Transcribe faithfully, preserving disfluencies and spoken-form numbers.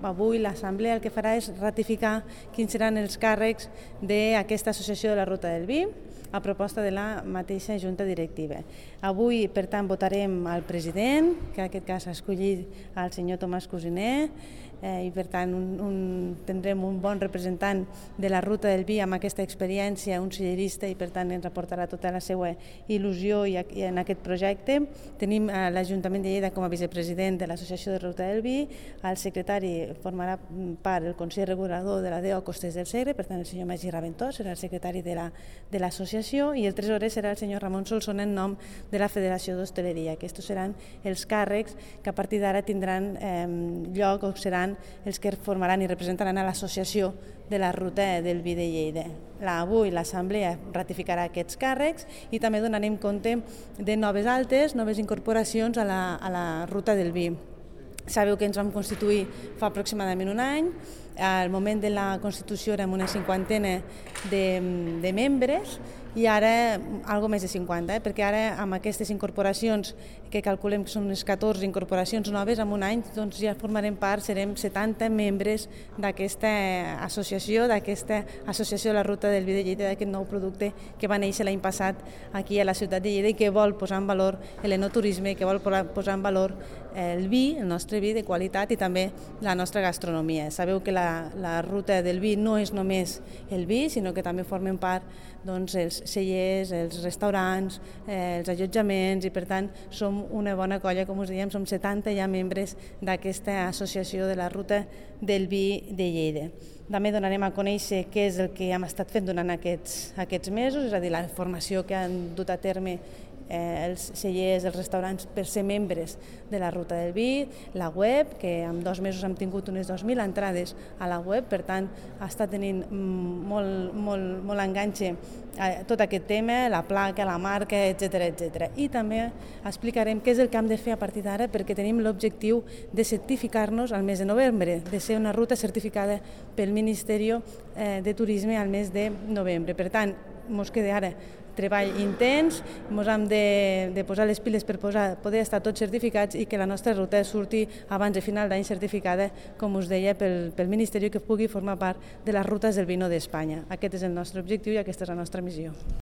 avui l'Assemblea el que farà és ratificar quins seran els càrrecs d'aquesta associació de la Ruta del Vi, a proposta de la mateixa Junta Directiva. Avui, per tant, votarem al president, que en aquest cas ha escollit el senyor Tomàs Cosiner, eh, i per tant un, un, tindrem un bon representant de la Ruta del Vi amb aquesta experiència, un sellerista, i per tant ens aportarà tota la seva il·lusió i, i en aquest projecte. Tenim eh, l'Ajuntament de Lleida com a vicepresident de l'Associació de Ruta del Vi, el secretari formarà part del Consell Regulador de la D E O Costers del Segre, per tant el senyor Magí Raventós serà el secretari de l'associació, i el tresorer serà el senyor Ramon Solsona en nom de la Federació d'Hostaleria. Aquests seran els càrrecs que a partir d'ara tindran eh, lloc o seran els que formaran i representaran a l'associació de la Ruta del Vi de Lleida. La, avui l'Assemblea ratificarà aquests càrrecs i també donarem compte de noves altes, noves incorporacions a la, a la Ruta del Vi. Sabeu que ens vam constituir fa aproximadament un any. Al moment de la Constitució érem una cinquantena de, de membres i ara algo més de cinquanta, eh? perquè ara amb aquestes incorporacions que calculem que són unes catorze incorporacions noves, en un any doncs, ja formarem part, serem setanta membres d'aquesta associació, d'aquesta associació de la Ruta del Vi de Lleida, d'aquest nou producte que va néixer l'any passat aquí a la ciutat de Lleida i que vol posar en valor l'enoturisme, que vol posar en valor el vi, el nostre vi de qualitat i també la nostra gastronomia. Sabeu que la, la Ruta del Vi no és només el vi, sinó que també formen part doncs, els cellers, els restaurants, eh, els allotjaments i per tant som una bona colla, com us dèiem, som setanta ja membres d'aquesta associació de la Ruta del Vi de Lleida. També donarem a conèixer què és el que hem estat fent durant aquests, aquests mesos, és a dir, la formació que han dut a terme Eh, els cellers, els restaurants per ser membres de la Ruta del Vi, la web, que en dos mesos hem tingut unes dos mil entrades a la web, per tant està tenint molt, molt, molt enganxe eh, tot aquest tema, la placa, la marca, etcètera, etcètera. I també explicarem què és el que hem de fer a partir d'ara perquè tenim l'objectiu de certificar-nos al mes de novembre, de ser una ruta certificada pel Ministeri eh, de Turisme al mes de novembre. Per tant, ens queda ara treball intens, ens hem de, de posar les piles per posar, poder estar tots certificats i que la nostra ruta surti abans de final d'any certificada, com us deia, pel, pel Ministeri, que pugui formar part de les rutes del vino d'Espanya. Aquest és el nostre objectiu i aquesta és la nostra missió.